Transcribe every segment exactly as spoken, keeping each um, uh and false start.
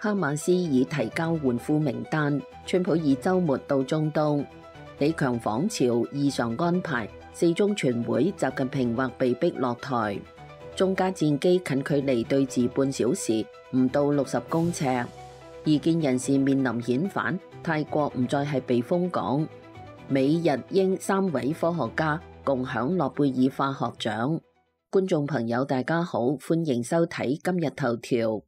哈馬斯已提交援俘名單，川普以週末到中東。李強訪朝異常安排，四中全會習近平或被逼落台。中加戰機近距離對峙半小時，唔到六十公尺。異見人士面臨遣返，泰國唔再係避風港。美日英三位科學家共享諾貝爾化學獎。觀眾朋友大家好，歡迎收睇今日頭條。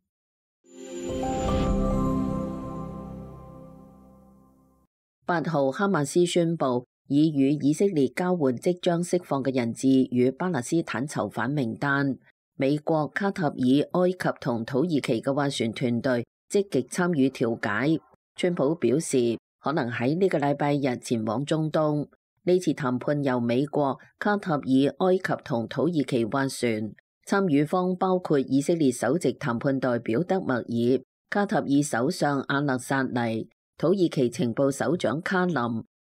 八號，哈馬斯宣布已與以色列交換即將釋放嘅人質與巴勒斯坦囚犯名單。美國、卡塔爾、埃及同土耳其嘅斡旋團隊積極參與調解。川普表示可能喺呢個禮拜日前往中東。呢次談判由美國、卡塔爾、埃及同土耳其斡旋，參與方包括以色列首席談判代表德默爾、卡塔爾首相阿勒薩尼、土耳其情報首長卡林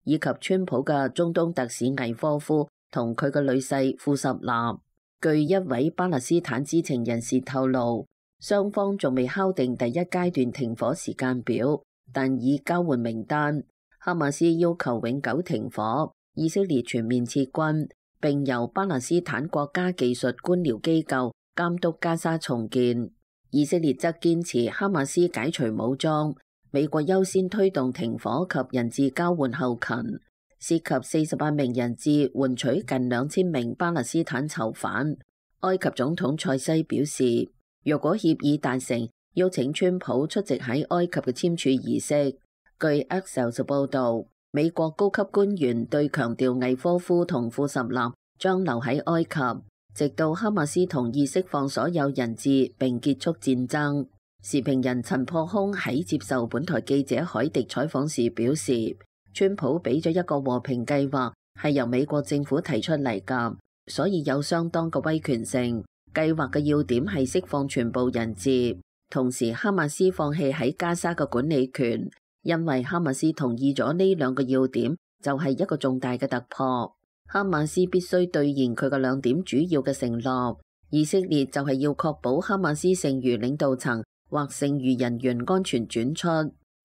以及川普嘅中東特使魏科夫同佢嘅女婿庫什納。據一位巴勒斯坦知情人士透露，雙方仲未敲定第一階段停火時間表，但已交換名單。哈馬斯要求永久停火，以色列全面撤軍，並由巴勒斯坦國家技術官僚機構監督加沙重建。以色列則堅持哈馬斯解除武裝。美國優先推動停火及人質交換後勤，涉及四十八名人質，換取近兩千名巴勒斯坦囚犯。埃及總統塞西表示，若果協議達成，邀請川普出席喺埃及嘅簽署儀式。據 Axios 報導，美國高級官員對強調魏科夫同庫什納將留喺埃及，直到哈馬斯同意釋放所有人質並結束戰爭。時評人陳破空喺接受本台記者海迪採訪時表示，川普俾咗一個和平計劃，係由美國政府提出嚟㗎，所以有相當嘅威權性。計劃嘅要點係釋放全部人質，同時哈馬斯放棄喺加沙嘅管理權，因為哈馬斯同意咗呢兩個要點，就係一個重大嘅突破。哈馬斯必須兌現佢嘅兩點主要嘅承諾，以色列就係要確保哈馬斯剩餘領導層或剩餘人員安全轉出。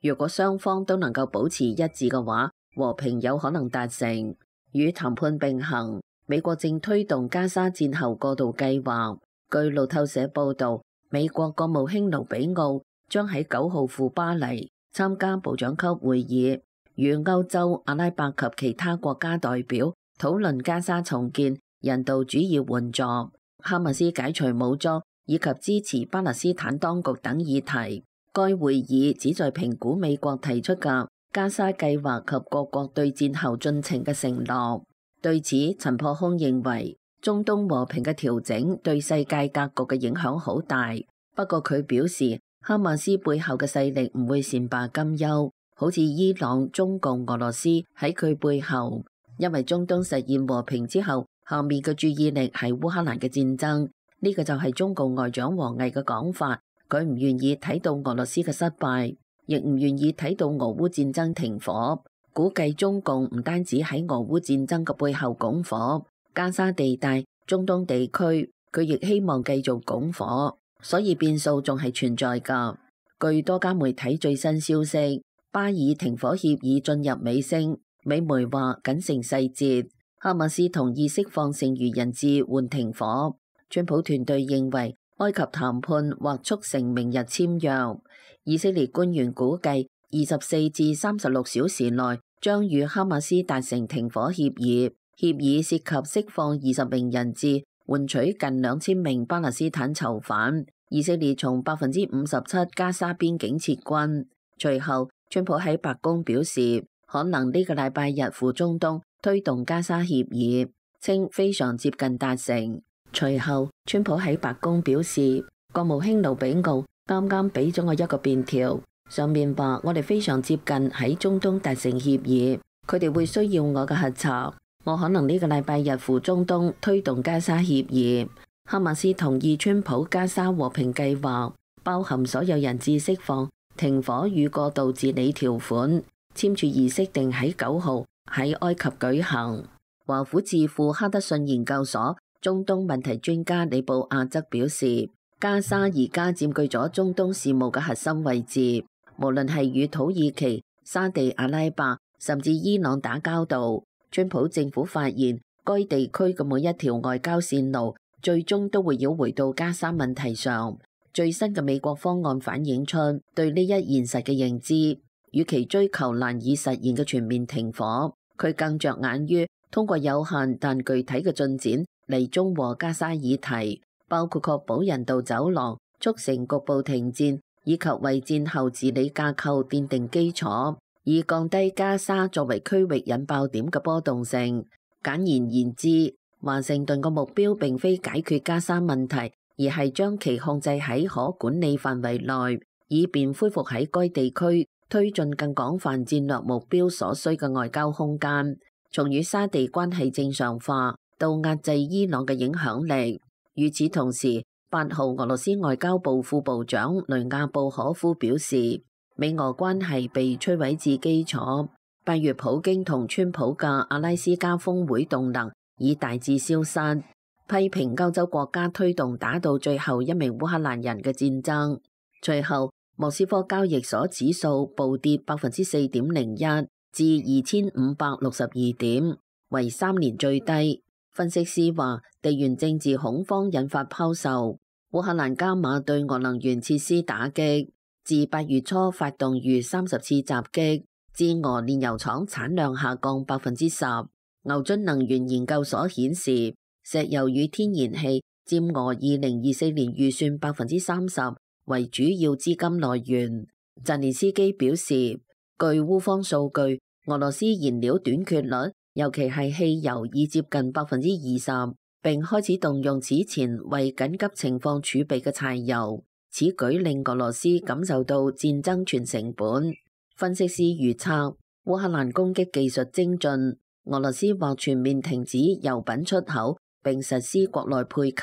如果雙方都能夠保持一致嘅話，和平有可能達成。與談判並行，美國正推動加沙戰後過渡計劃。據路透社報導，美國國務卿盧比奧將喺九號赴巴黎參加部長級會議，與歐洲、阿拉伯及其他國家代表討論加沙重建、人道主義援助、哈馬斯解除武裝以及支持巴勒斯坦當局等議題。該會議旨在評估美國提出嘅加沙計劃及各國對戰後進程嘅承諾。對此，陳破空認為中東和平嘅調整對世界格局嘅影響好大。不過佢表示，哈馬斯背後嘅勢力唔會善罷甘休，好似伊朗、中共、俄羅斯喺佢背後。因為中東實現和平之後，下面嘅注意力係烏克蘭嘅戰爭。呢個就係中共外長王毅嘅講法，佢唔願意睇到俄羅斯嘅失敗，亦唔願意睇到俄烏戰爭停火。估計中共唔單止喺俄烏戰爭嘅背後拱火，加沙地帶、中東地區，佢亦希望繼續拱火，所以變數仲係存在㗎。據多家媒體最新消息，巴以停火協議進入尾聲，美媒話僅剩細節，哈馬斯同意釋放剩餘人質換停火。川普團隊認為埃及談判或促成明日簽約。以色列官員估計二十四至三十六小時內將與哈馬斯達成停火協議，協議涉及釋放二十名人質，換取近兩千名巴勒斯坦囚犯。以色列從百分之五十七加沙邊境撤軍。隨後，川普喺白宮表示，可能呢個禮拜日赴中東推動加沙協議，稱非常接近達成。隨後，川普喺白宮表示，國務卿盧比奧啱啱俾咗我一個便條，上面話我哋非常接近喺中東達成協議，佢哋會需要我嘅核查，我可能呢個禮拜日赴中東推動加沙協議。哈馬斯同意川普加沙和平計劃，包含所有人質釋放、停火與過渡治理條款，簽署儀式定喺九號喺埃及舉行。華府智庫哈德遜研究所中東問題專家李布亞則表示，加沙而家佔據咗中東事務嘅核心位置，無論係與土耳其、沙地阿拉伯甚至伊朗打交道，川普政府發現該地區嘅每一條外交線路最終都會繞回到加沙問題上。最新嘅美國方案反映出對呢一現實嘅認知，與其追求難以實現嘅全面停火，佢更着眼於通過有限但具體嘅進展嚟中和加沙議題，包括確保人道走廊、促成局部停戰，以及為戰後治理架構奠定基礎，以降低加沙作為區域引爆點嘅波動性。簡言言之，華盛頓嘅目標並非解決加沙問題，而係將其控制喺可管理範圍內，以便恢復喺該地區推進更廣泛戰略目標所需嘅外交空間，從與沙地關係正常化到壓制伊朗嘅影響力。與此同時，八號俄羅斯外交部副部長雷亞布可夫表示，美俄關係被摧毀至基礎。八月普京同川普嘅阿拉斯加峰會動能已大致消失，批評歐洲國家推動打到最後一名烏克蘭人嘅戰爭。隨後，莫斯科交易所指數暴跌百分之四點零一至二千五百六十二點，為三年最低。分析師話，地緣政治恐慌引發拋售，烏克蘭加碼對俄能源設施打擊，自八月初發動逾三十次襲擊，至俄煉油廠產量下降百分之十。牛津能源研究所顯示，石油與天然氣佔俄二零二四年預算百分之三十為主要資金來源。澤連斯基表示，據烏方數據，俄羅斯燃料短缺率，尤其係汽油已接近百分之二十，並開始動用此前為緊急情況儲備嘅柴油。此舉令俄羅斯感受到戰爭全成本。分析師預測，烏克蘭攻擊技術精進，俄羅斯或全面停止油品出口，並實施國內配給。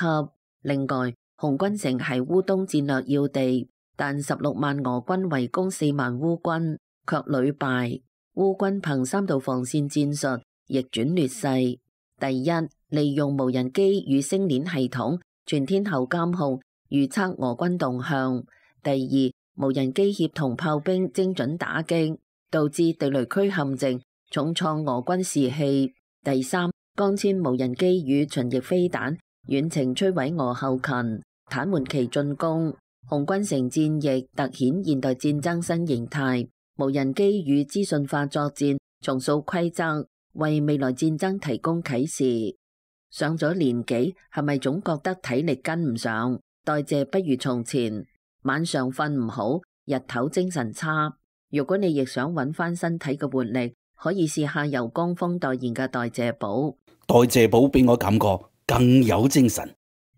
另外，紅軍城係烏東戰略要地，但十六萬俄軍圍攻四萬烏軍，卻屢敗。烏軍憑三道防線戰術逆轉劣勢：第一，利用無人機與星鏈系統全天候監控預測俄軍動向；第二，無人機協同炮兵精準打擊，導致地雷區陷阱，重創俄軍士氣；第三，光纖無人機與巡弋飛彈遠程摧毀俄後勤，癱瘓其進攻。紅軍城戰役突顯現代戰爭新形態，無人機與資訊化作戰重塑規則，為未來戰爭提供啟示。上咗年紀，係咪總覺得體力跟唔上，代謝不如從前？晚上瞓唔好，日頭精神差。如果你亦想揾翻身體嘅活力，可以試下由江峰代言嘅代謝寶。代謝寶俾我感覺更有精神。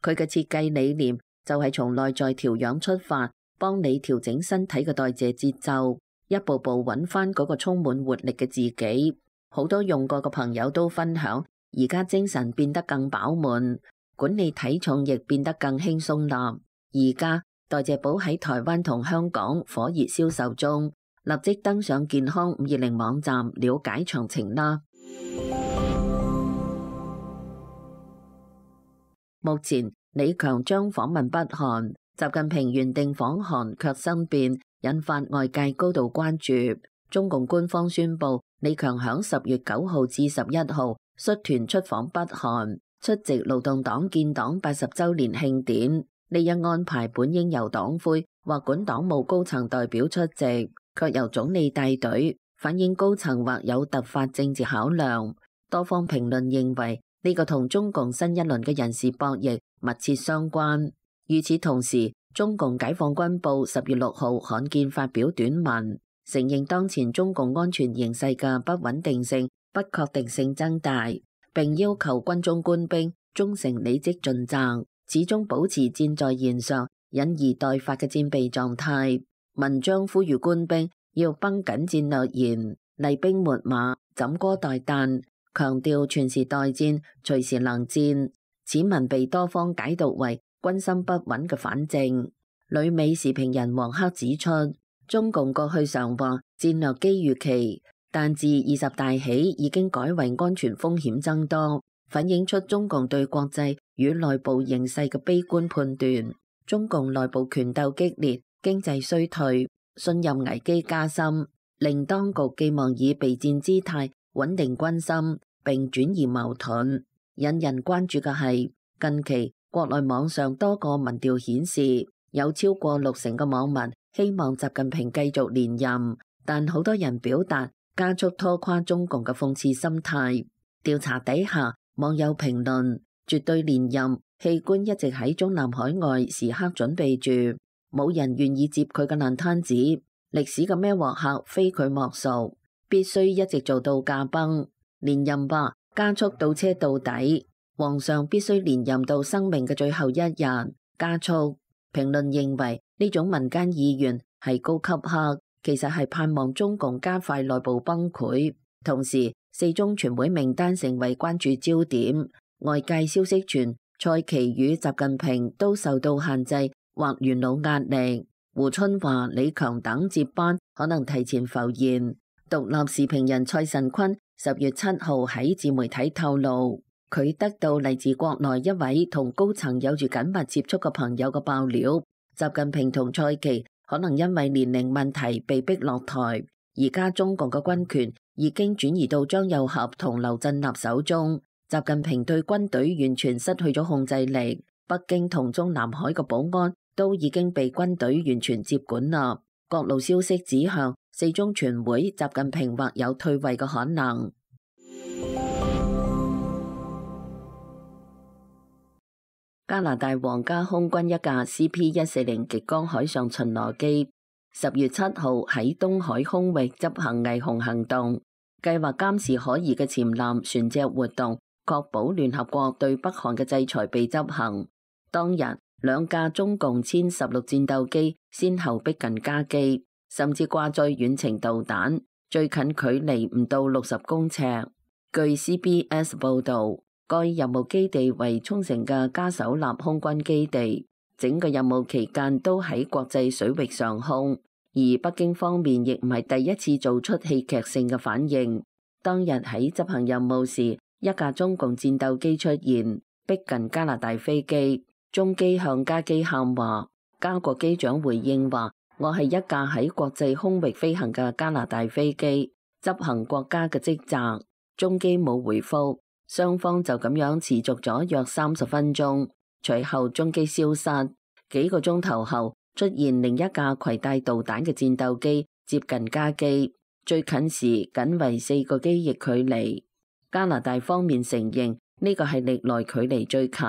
佢嘅設計理念就係從內在調養出發，幫你調整身體嘅代謝節奏，一步步揾翻嗰個充滿活力嘅自己。好多用過嘅朋友都分享，而家精神變得更飽滿，管理體重亦變得更輕鬆啦。而家代謝寶喺台灣同香港火熱銷售中，立即登上健康五二零網站了解詳情啦。目前李強將訪問北韓，習近平原定訪韓卻生變，引發外界高度關注。中共官方宣布，李強響十月九號至十一號率團出訪北韓，出席勞動黨建黨八十週年慶典。呢一安排本應由黨魁或管黨務高層代表出席，卻由總理帶隊，反映高層或有突發政治考量。多方評論認為，呢個同中共新一輪嘅人事博弈密切相關。與此同時，中共解放軍報十月六號罕見發表短文，承認當前中共安全形勢嘅不穩定性、不確定性增大，並要求軍中官兵忠誠履職盡責，始終保持箭在弦上、忍而待發嘅戰備狀態。文章呼籲官兵要繃緊戰略弦，厲兵秣馬，枕戈待旦，強調全時待戰、隨時能戰。此文被多方解讀為軍心不穩嘅反證。旅美時評人黃克指出，中共過去常話戰略機遇期，但自二十大起已經改為安全風險增多，反映出中共對國際與內部形勢嘅悲觀判斷。中共內部權鬥激烈，經濟衰退，信任危機加深，令當局寄望以備戰姿態穩定軍心並轉移矛盾。引人關注嘅係近期國內網上多個民調顯示，有超過六成嘅網民希望習近平繼續連任，但好多人表達加速拖垮中共嘅諷刺心態。調查底下，網友評論絕對連任器官一直喺中南海外時刻準備住，冇人願意接佢嘅爛攤子。歷史嘅孭鑊客非佢莫屬，必須一直做到駕崩。連任吧，加速倒車到底。皇上必須連任到生命嘅最後一日，加速。評論認為呢種民間意願係高級黑，其實係盼望中共加快內部崩潰。同時，四中全會名單成為關注焦點。外界消息傳蔡奇與習近平都受到限制或元老壓力，胡春華、李強等接班可能提前浮現。獨立時評人蔡慎坤十月七號喺自媒體透露，佢得到嚟自國內一位同高層有住緊密接觸嘅朋友嘅爆料，習近平同蔡奇可能因為年齡問題被逼落台，而家中共嘅軍權已經轉移到張又俠同劉振立手中，習近平對軍隊完全失去咗控制力，北京同中南海嘅保安都已經被軍隊完全接管啦。各路消息指向四中全會，習近平或有退位嘅可能。加拿大皇家空軍一架 C P 一四零極光海上巡邏機十月七號喺東海空域執行偽紅行動，計劃監視可疑嘅潛艦船隻活動，確保聯合國對北韓嘅制裁被執行。當日，兩架中共殲十六戰鬥機先後逼近加機，甚至掛載遠程導彈，最近距離唔到六十公尺。據 C B S 報導，該任務基地為沖繩嘅加手納空軍基地，整個任務期間都喺國際水域上空，而北京方面亦唔係第一次做出戲劇性嘅反應。當日喺執行任務時，一架中共戰鬥機出現，逼近加拿大飛機，中機向加機喊話，加國機長回應話：我係一架喺國際空域飛行嘅加拿大飛機，執行國家嘅職責。中機冇回覆。雙方就咁樣持續咗約三十分鐘，隨後中機消失。幾個鐘頭後，出現另一架攜帶導彈嘅戰鬥機接近加機，最近時僅為四個機翼距離。加拿大方面承認呢個係歷來距離最近、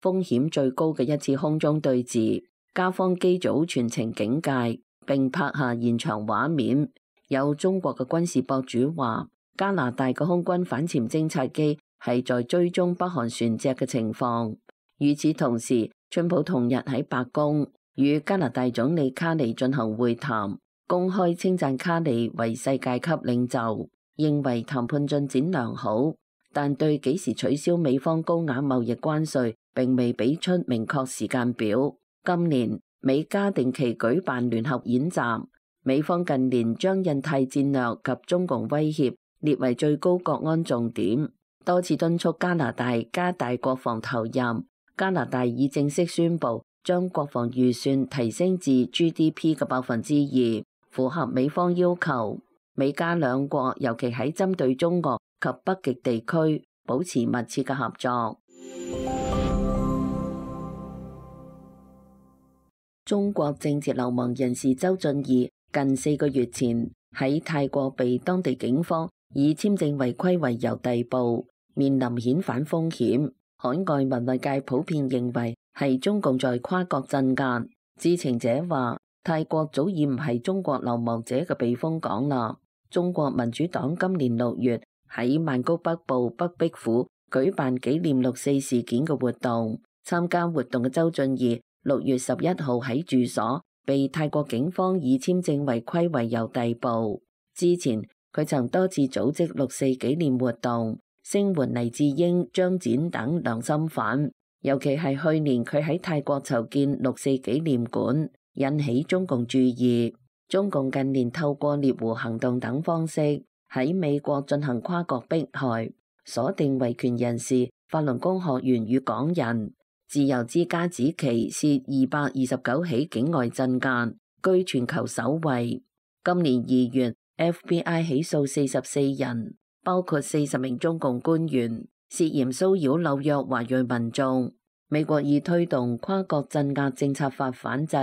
風險最高嘅一次空中對峙。加方機組全程警戒，並拍下現場畫面。有中國嘅軍事博主話，加拿大嘅空軍反潛偵察機係在追蹤北韓船隻嘅情況。與此同時，川普同日喺白宮與加拿大總理卡尼進行會談，公開稱讚卡尼為世界級領袖，認為談判進展良好，但對幾時取消美方高額貿易關稅並未俾出明確時間表。今年美加定期舉辦聯合演習，美方近年將印太戰略及中共威脅列為最高國安重點，多次敦促加拿大加大國防投入。加拿大已正式宣布將國防預算提升至 G D P 嘅百分之二，符合美方要求。美加兩國尤其喺針對中俄及北極地區保持密切嘅合作。中國政治流亡人士周俊義近四個月前喺泰國被當地警方以簽證違規為由逮捕，面臨遣返風險。海外文藝界普遍認為係中共在跨國鎮壓。知情者話，泰國早已唔係中國流亡者嘅避風港啦。中國民主黨今年六月喺曼谷北部北壁府舉辦紀念六四事件嘅活動，參加活動嘅周俊義六月十一號喺住所被泰國警方以簽證違規為由逮捕。之前佢曾多次組織六四紀念活動，聲援黎智英、張展等良心犯。尤其係去年佢喺泰國籌建六四紀念館，引起中共注意。中共近年透過獵狐行動等方式喺美國進行跨國迫害，鎖定維權人士、法輪功學員與港人。自由之家指其涉二百二十九起境外鎮壓，居全球首位。今年二月 F B I 起訴四十四人，包括四十名中共官員，涉嫌騷擾紐約華裔民眾。美國已推動跨國鎮壓政策法反制。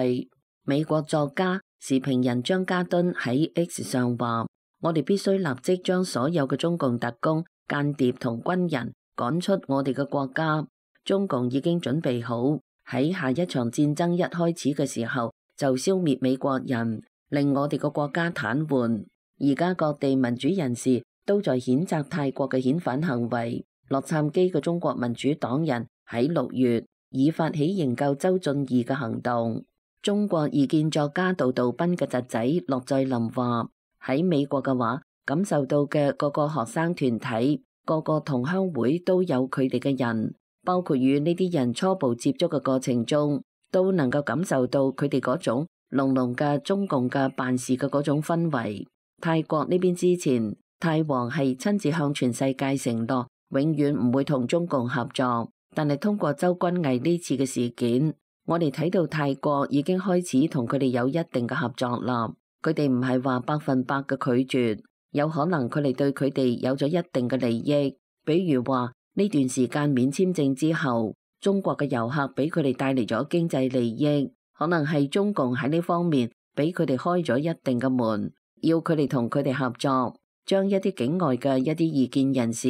美國作家、時評人張家敦喺 X 上話：我哋必須立即將所有嘅中共特工、間諜同軍人趕出我哋嘅國家。中共已經準備好喺下一場戰爭一開始嘅時候就消滅美國人，令我哋個國家癱瘓。而家各地民主人士都在譴責泰國嘅遣返行為。洛杉磯嘅中國民主黨人喺六月已發起營救周俊義嘅行動。中國異見作家杜道斌嘅侄仔駱在林話：喺美國嘅話，感受到嘅各個學生團體、各個同鄉會都有佢哋嘅人。包括與呢啲人初步接觸嘅過程中，都能夠感受到佢哋嗰種濃濃嘅中共嘅辦事嘅嗰種氛圍。泰國呢邊之前，泰皇係親自向全世界承諾，永遠唔會同中共合作。但係通過周君毅呢次嘅事件，我哋睇到泰國已經開始同佢哋有一定嘅合作啦。佢哋唔係話百分百嘅拒絕，有可能佢哋對佢哋有咗一定嘅利益，比如話。呢段時間免簽證之後，中國嘅遊客俾佢哋帶嚟咗經濟利益，可能係中共喺呢方面俾佢哋開咗一定嘅門，要佢哋同佢哋合作，將一啲境外嘅一啲異見人士，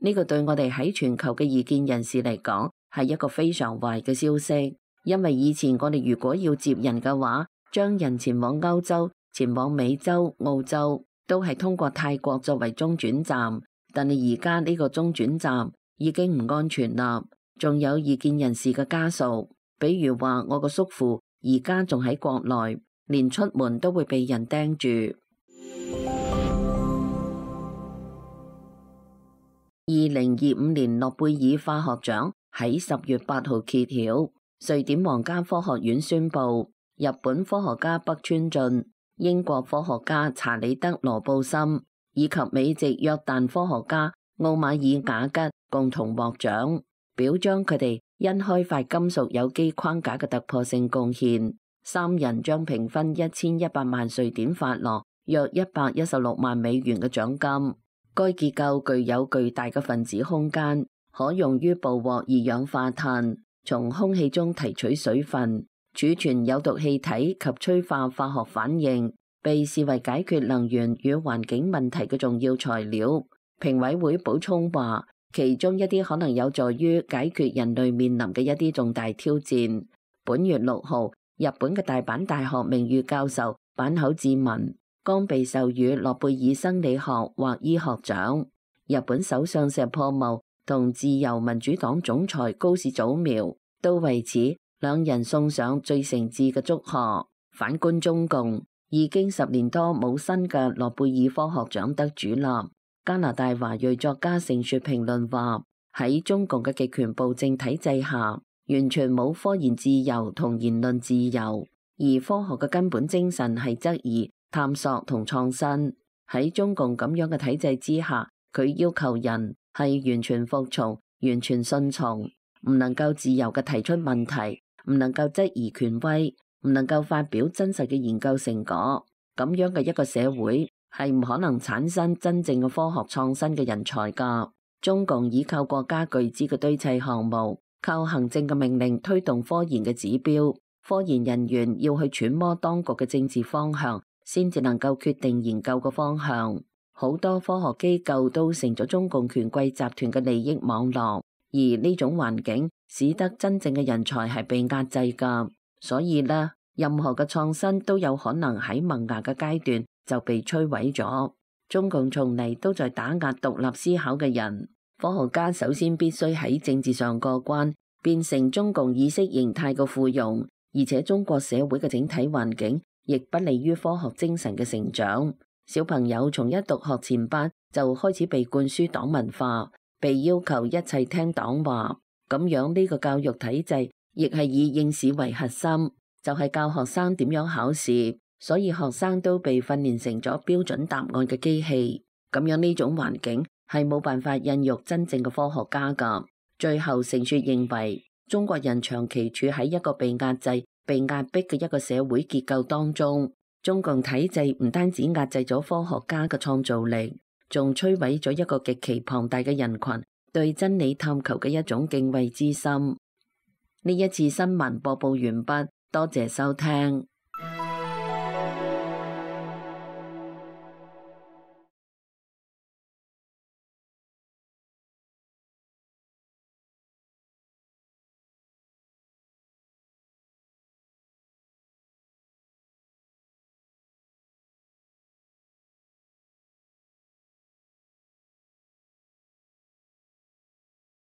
呢個對我哋喺全球嘅異見人士嚟講係一個非常壞嘅消息，因為以前我哋如果要接人嘅話，將人前往歐洲、前往美洲、澳洲，都係通過泰國作為中轉站，但係而家呢個中轉站已經唔安全啦，仲有異見人士嘅家屬，比如話我個叔父而家仲喺國內，連出門都會被人盯住。二零二五年諾貝爾化學獎喺十月八號揭曉，瑞典皇家科學院宣布，日本科學家北川俊、英國科學家查理德羅布森以及美籍約旦科學家奧馬爾瓦吉共同獲獎，表彰佢哋因開發金屬有機框架嘅突破性貢獻。三人將平分一千一百萬瑞典法郎，約一百一十六萬美元嘅獎金。該結構具有巨大嘅分子空間，可用於捕獲二氧化碳，從空氣中提取水分，儲存有毒氣體及催化化學反應，被視為解決能源與環境問題嘅重要材料。評委會補充話，其中一啲可能有助於解決人類面臨嘅一啲重大挑戰。本月六號，日本嘅大阪大學名譽教授坂口智文剛被授予諾貝爾生理學或醫學獎。日本首相石破茂同自由民主黨總裁高市早苗都為此兩人送上最誠摯嘅祝賀。反觀中共，已經十年多冇新嘅諾貝爾科學獎得主啦。加拿大華裔作家盛雪評論話：喺中共嘅極權暴政體制下，完全冇科研自由同言論自由，而科學嘅根本精神係質疑、探索同創新。喺中共咁樣嘅體制之下，佢要求人係完全服從、完全順從，唔能夠自由嘅提出問題，唔能夠質疑權威，唔能夠發表真實嘅研究成果。咁樣嘅一個社會係唔可能產生真正嘅科學創新嘅人才㗎。中共依靠國家巨資嘅堆砌項目，靠行政嘅命令推動科研嘅指標，科研人員要去揣摩當局嘅政治方向，先至能夠決定研究嘅方向。好多科學機構都成咗中共權貴集團嘅利益網絡，而呢種環境使得真正嘅人才係被壓制㗎。所以呢，任何嘅創新都有可能喺萌芽嘅階段就被摧毀咗。中共從嚟都在打壓獨立思考嘅人。科學家首先必須喺政治上過關，變成中共意識形態嘅附庸，而且中國社會嘅整體環境亦不利於科學精神嘅成長。小朋友從一讀學前班就開始被灌輸黨文化，被要求一切聽黨話，咁樣呢個教育體制亦係以應試為核心，就係教學生點樣考試。所以學生都被訓練成咗標準答案嘅機器，咁樣呢種環境係冇辦法孕育真正嘅科學家㗎。最後盛雪認為，中國人長期處喺一個被壓制、被壓迫嘅一個社會結構當中。中共體制唔單止壓制咗科學家嘅創造力，仲摧毀咗一個極其龐大嘅人群對真理探求嘅一種敬畏之心。呢一次新聞播報完畢，多謝收聽。